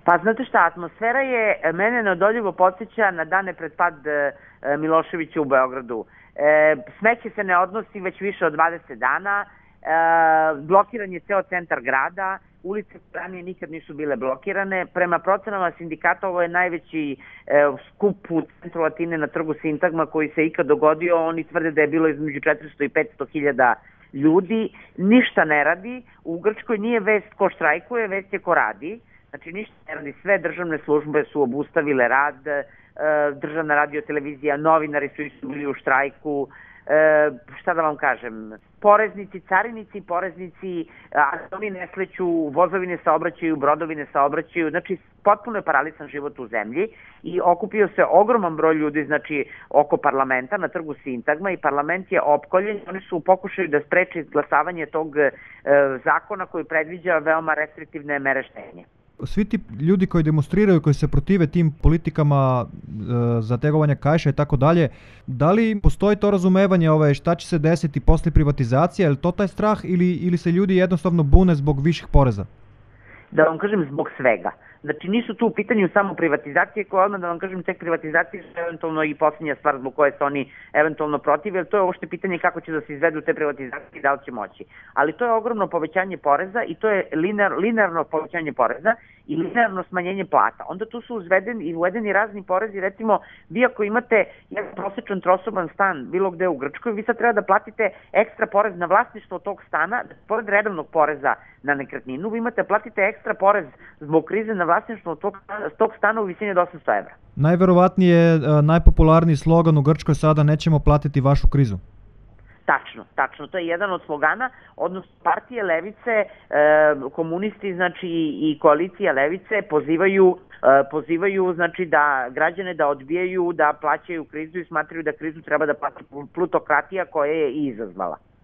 Pa znate šta, atmosfera je, mene neodoljivo podsjeća na dane pred pad Miloševića u Beogradu. Smeće se ne odnosi već više od 20 dana, blokiran je ceo centar grada, ulice ranije nikad nisu bile blokirane. Prema procenama sindikata ovo je najveći skup u centru Atine na trgu Sintagma koji se ikad dogodio. Oni tvrde da je bilo između 400 i 500 hiljada ljudi. Ništa ne radi. U Grčkoj nije vest ko štrajkuje, vest je ko radi. Znači ništa ne radi. Sve državne službe su obustavile rad, državna radiotelevizija, novinari su isto bili u štrajku. Šta da vam kažem, poreznici, carinici, poreznici, oni ne sleću, vozovi ne saobraćaju, brodovi ne saobraćaju, znači potpuno je paralisan život u zemlji i okupio se ogroman broj ljudi, znači oko parlamenta na trgu Sintagma i parlament je opkoljen, oni su u pokušaju da spreče izglasavanje tog zakona koji predviđa veoma restriktivne mere štednje. Svi ti ljudi koji demonstriraju, koji se protive tim politikama zategovanja kaiša i tako dalje, da li postoji to razumevanje šta će se desiti posle privatizacije, je li to taj strah ili se ljudi jednostavno bune zbog viših poreza? Da vam kažem, zbog svega. Znači nisu tu u pitanju samo privatizacije koje odmah da vam kažem tek privatizacije su eventualno i posljednja stvar zbog koje se oni eventualno protive, jer to je uopšte pitanje kako će da se izvedu te privatizacije i da li će moći. Ali to je ogromno povećanje poreza i to je linearno povećanje poreza i linearno smanjenje plata. Onda tu su uvedeni razni porezi, recimo vi ako imate jedan prosječan trosoban stan bilo gde u Grčkoj, vi sad treba da platite ekstra porez na vlasništvo tog stana, pored redovnog poreza na nekretninu, vi imate platite ekstra porez zbog krize na vlasništvo tog stana u visini od 800 evra. Najverovatnije najpopularniji slogan u Grčkoj sada nećemo platiti vašu krizu. Tačno, to je jedan od slogana, odnosno partije levice, komunisti, znači i koalicija levice pozivaju znači da građane da odbijaju da plaćaju krizu i smatraju da krizu treba da plati plutokratija koja je i izazvala.